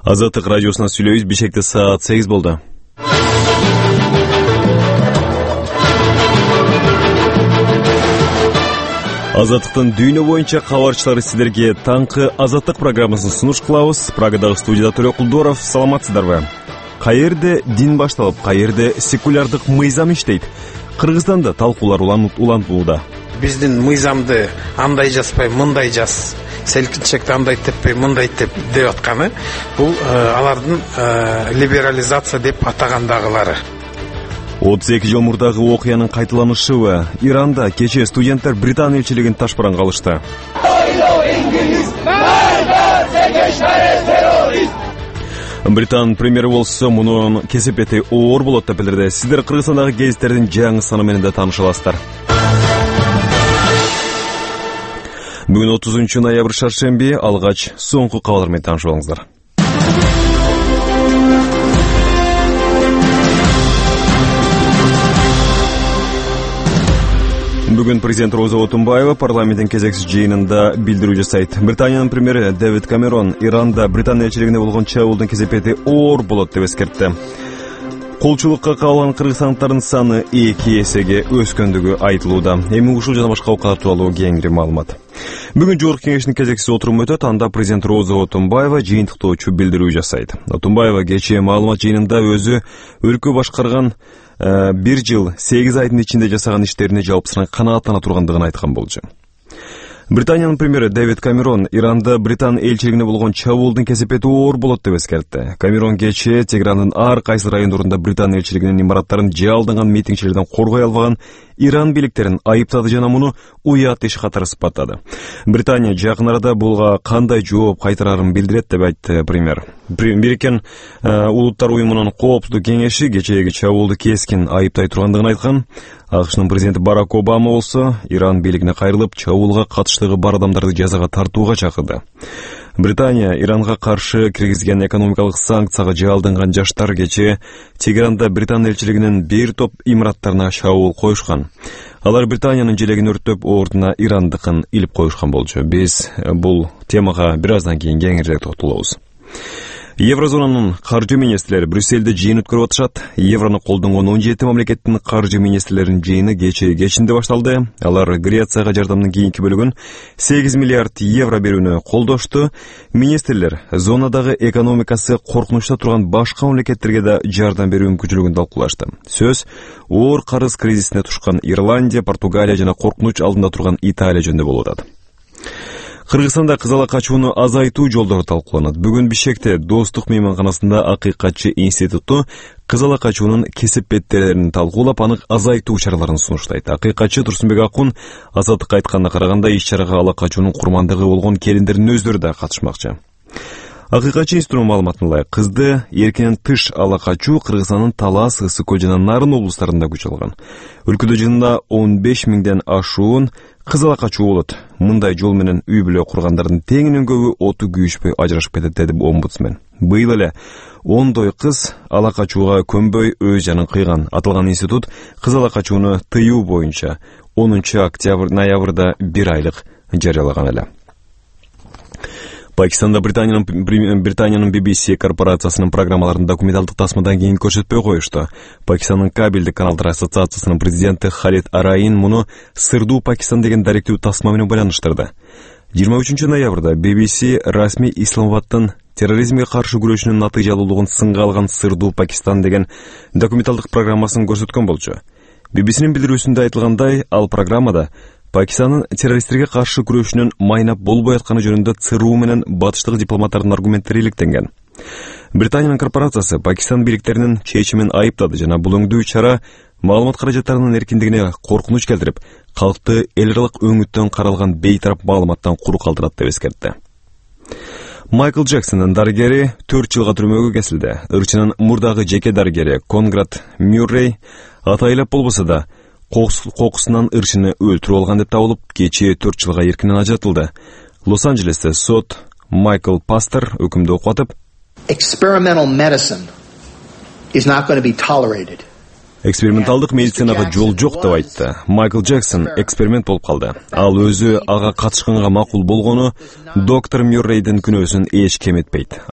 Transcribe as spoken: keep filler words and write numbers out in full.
Азаттык радиосуна сүйлөйбүз. Бишкекте саат сегиз болду. Азаттыктын дүйнө боюнча кабарчылары сиздерге таңкы Азаттык программасын сунуш кылабыз. Прагадагы студияда Төлө Кулдоров. Саламатсыздарбы? Каерде дин башталып, каерде секулярдык мыйзам иштейт? Кыргызстанда талкуулар улантууда. Биздин мыйзамды андай жазбай, мындай жаз, селкинчекти андай теппей, мындай теп деп атканы бул алардын либерализация деп атагандагылары. отуз эки жыл мурдагы окуянын кайталанышыбы? Иранда кечээ студенттер Британ элчилигин ташбаранга алышты. Британ премьери болсо мунун кесепети оор болот деп билдирди. Сиздер Кыргызстандагы гезиттердин жаңы саны менен да тааныша аласыздар. Бүгүн отузунчу ноябрь шаршемби, алгач соңку кабарлар менен таанышып алыңыздар. Бүгүн президент Роза Отунбаева парламенттин кезексиз жыйынында билдирүү жасайт. Британиянын премьери Дэвид Камерон Иранда Британ элчилигине болгон чабуулдун кесепети оор болот деп эскертти. Колчулукка кабылган кыргызстандыктардын саны эки эсеге өскөндүгү айтылууда. Эми ушул жана башка окуялар тууралуу кеңири маалымат. Бүгүн жогорку кеңештин кезексиз отуруму өтөт. Анда президент Роза Отунбаева жыйынтыктоочу билдирүү жасайт. Отунбаева кечээ маалымат жыйынында өзү өлкө башкарган бир жыл сегиз айдын ичинде жасаган иштерине жалпысынан канааттана тургандыгын айткан болчу. Британиянын премьери Дэвид Камерон Иранда Британ элчилигине болгон чабуулдун кесепети оор болот деп эскертти. Камерон кечээ Тегерандын ар кайсы райондорунда Британ элчилигинин имараттарын жалданган митингчилерден коргой албаган Иран бийликтерин айыптады жана муну уят иш катары сыпаттады. Британия жакын арада буга кандай жооп кайтарарын билдирет деп айтты премьер. Бириккен улуттар уюмунун коопсуздук кеңеши кечээги чабуулду кескин айыптай тургандыгын айткан. АКШнын президенти Барак Обама болсо Иран бийлигине кайрылып, чабуулга катыштыгы бар адамдарды жазага тартууга чакырды. Британия Иранга каршы киргизген экономикалык санкцияга жалданган жаштар кечээ Тегеранда Британ элчилигинин бир топ имараттарына чабуул коюшкан. Алар Британиянын желегин өрттөп, ордуна Ирандыкын илип коюшкан болчу. Биз бул темага бир аздан кийин кеңирээк токтолобуз. Еврозонанын каржы министрлери Брюссельде жыйын өткөрүп атышат. Еврону колдонгон он жети мамлекеттин каржы министрлеринин жыйыны кечээ кечинде башталды. Алар Грецияга жардамдын кийинки бөлүгүн сегиз миллиард евро берүүнү колдошту. Министрлер зонадагы экономикасы коркунучта турган башка мамлекеттерге да жардам берүү мүмкүнчүлүгүн талкуулашты. Сөз оор карыз кризисине тушкан Ирландия, Португалия жана коркунуч алдында турган Италия жөнүндө болуп атат. Кыргызстанда кызала качууну азайтуу жолдору талкууланат. Бүгүн Бишкекте Достук мейманканасында Акыйкатчы институту кызала качуунун кесепеттерин талкуулап, аны азайтуу чараларын сунуштайт. Акыйкатчы Турсунбек Акун Азаттыкка айтканына караганда, иш-чарага ала качуунун курмандыгы болгон келиндердин өздөрү да катышмакчы. Акыйкатчы институтунун маалыматына ылайык, кызды эркинен тыш ала качуу Кыргызстандын Талас, Ысык Көл жана Нарын облустарында күч алган. Өлкөдө жылына он беш миңден ашуун кыз ала качуу болот. Мындай жол менен үй бүлө кургандардын теңинен көбү оту күйүшпөй ажырашып кетет, деди омбудсмен. Быйыл эле ондой кыз ала качууга көнбөй өз жанын кыйган. Аталган институт кыз ала качууну тыюу боюнча онунчу октябрь ноябрда бир айлык жарыялаган эле. Пакистанда Британиянын Британиянын би би си корпорациясынын программаларын документалдык тасмадан кийин көрсөтпөй коюшту. Пакистандын кабелдик каналдар ассоциациясынын президенти Халид Араин муну сырдуу Пакистан деген даректүү тасма менен байланыштырды. жыйырма үчүнчү ноябрда би би си расмий Исламабадтын терроризмге каршы күрөшүүнүн натыйжалуулугун сынга алган Сырдуу Пакистан деген документалдык программасын көрсөткөн болчу. би би синин билдирүүсүндө айтылгандай, ал программада Пакистандын террористтерге каршы күрөшүнүн майнап болбой атканы жөнүндө ЦРУ менен батыштык дипломаттардын аргументтери иликтенген. Британиянын корпорациясы Пакистан бийликтеринин чечимин айыптады жана бул өңдүү чара маалымат каражаттарынын эркиндигине коркунуч келтирип, калкты эл аралык өңүттөн каралган бейтарап маалыматтан куру калтырат деп эскертти. Майкл Джексондун дарыгери төрт жылга түрмөгө кесилди. Ырчынын мурдагы жеке дарыгери Конград Мюррей атайлап болбосо да кокусунан ырчыны өлтүрүп алган деп табылып, кечээ төрт жылга эркинен ажыратылды. Лос-Анджелесте сот Майкл Пастер өкүмдү окутуп, Experimental medicine is not going to be tolerated. Эксперименталдык медицинага жол жок деп айтты. Майкл Джексон эксперимент болуп калды. Ал өзү ага катышканга макул болгону доктор Мюррейдин күнөөсүн эч кем этпейт.